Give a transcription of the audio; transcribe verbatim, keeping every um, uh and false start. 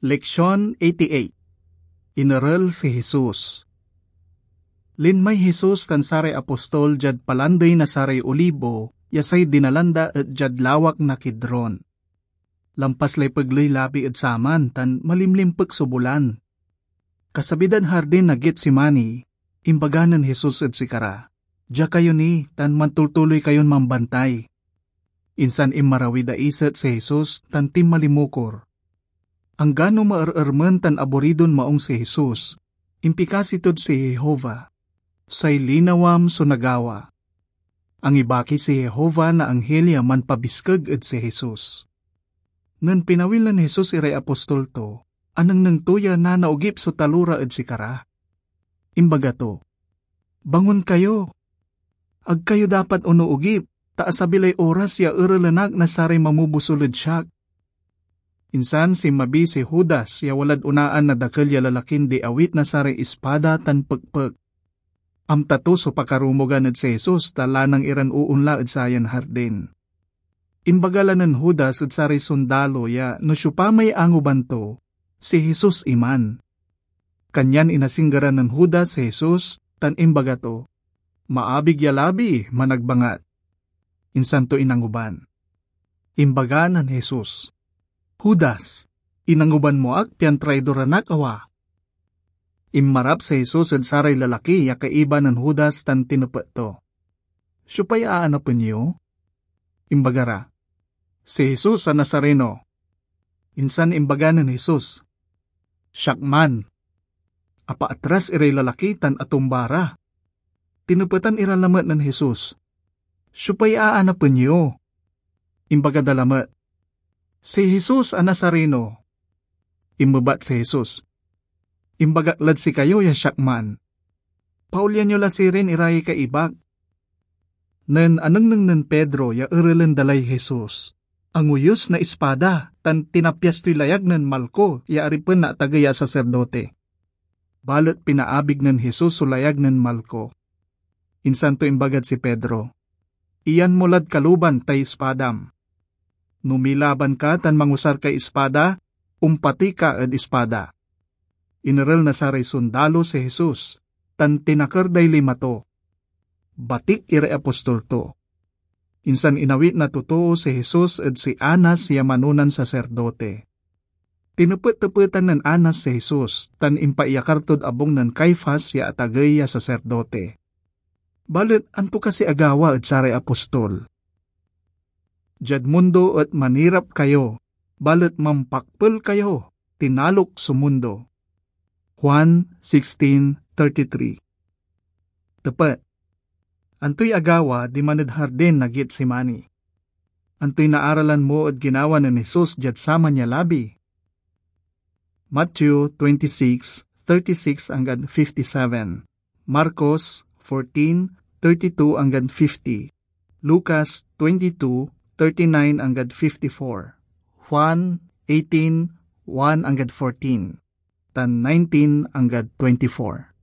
Leksion eighty-eight. Inerel si Jesus. Linmay Jesus tan saray apostol diad Palandey na saray Olibo, ya say dinalan da et diad lawak na Kidron. Lampas lay pegley labi ed saman tan malimlimpek so bulan. Kasabi dad hardin na Getsemani, imbaga nen Jesus ed sikara, "Dia kayo ni tan mantultuloy kayon mambantay." Insan inmarawid a iset si Jesus tan tinmalimukor. Anggano maerermen tan aburidon maong si Jesus, impikasi tod si Jehovah, "Say linawam so nagawa." Angibaki si Jehovah na anghil ya manpabiskeg ed si Jesus. Nen pinawil nen Jesus iray apostol to, anengneng to ya nanaogip so talora ed sikara. Imbaga to, "Bangon kayo! Ag kayo dapat onoogip, ta asabi lay oras ya erelen ak na saray mamobusol ed siak." Insan sinmabi si Judas ya walad onaan na dakel ya lalakin diawit na saray ispada tan pekpek. Amta to so pakarumogan ed si Jesus ta lanang iran oonla ed sayan hardin. Imbaga la nen Judas ed saray sondalo ya no siopa may angoban to, si Jesus iman. Kanyan inasinggeran nen Judas si Jesus tan imbaga to, "Maabig ya labi, managbangat." Insan to inangoban. Imbaga nen Jesus, "Judas, inangoban mo ak pian traidoran ak, awa?" Inmarap si Jesus ed saray lalaki ya kaiba nen Judas tan tinepet to, "Siopay aanapen yo?" Imbaga ra, "Si Jesus a Nazareno." Insan imbaga nen Jesus, "Siak man." Apaatras iray lalaki tan atumba ra. Tinepetan ira lamet nen Jesus, "Siopay aanapen yo?" Imbaga da lamet, "Si Jesus a Nazareno." Inmebat si Jesus, "Imbagak lad sikayo ya siak man. Paolyan yo la sirin iray kaibak." Nen anengneng nen Pedro ya erelen da lay Jesus, angoyus na ispada tan tinapyas toy layag nen Malco ya aripen na atagey a saserdote. Balet pinaabig nen Jesus so layag nen Malco. Insan to imbagad si Pedro, "Iyan mo lad kaluban tay ispadam. No milaban ka tan mangusar kay ispada, ompatey ka ed ispada." Inerel na saray sondalo si Jesus, tan tinaker day lima to. Batik iray apostol to. Insan inawit na totoo si Jesus ed si Anas ya manonan saserdote. Tinepet-tepetan nen Anas si Jesus tan impaiyakar tod abung nen Caifas ya atagey a saserdote. Balet anto kasi agawa ed saray apostol? "Diad mundo et manirap kayo, balet mampakpel kayo, tinalok so mundo." Juan sixteen thirty-three. Tepet, antoy agawa diman ed hardin na Getsemani? Antoy naaralan mo ed ginawa nen Jesus diad saman ya labi? Matthew twenty-six, thirty-six anggad fifty-seven, Marcos fourteen, thirty-two anggad fifty, Lucas twenty-two, thirty-nine anggad fifty-four, Juan eighteen, one anggad fourteen, tan nineteen anggad twenty-four.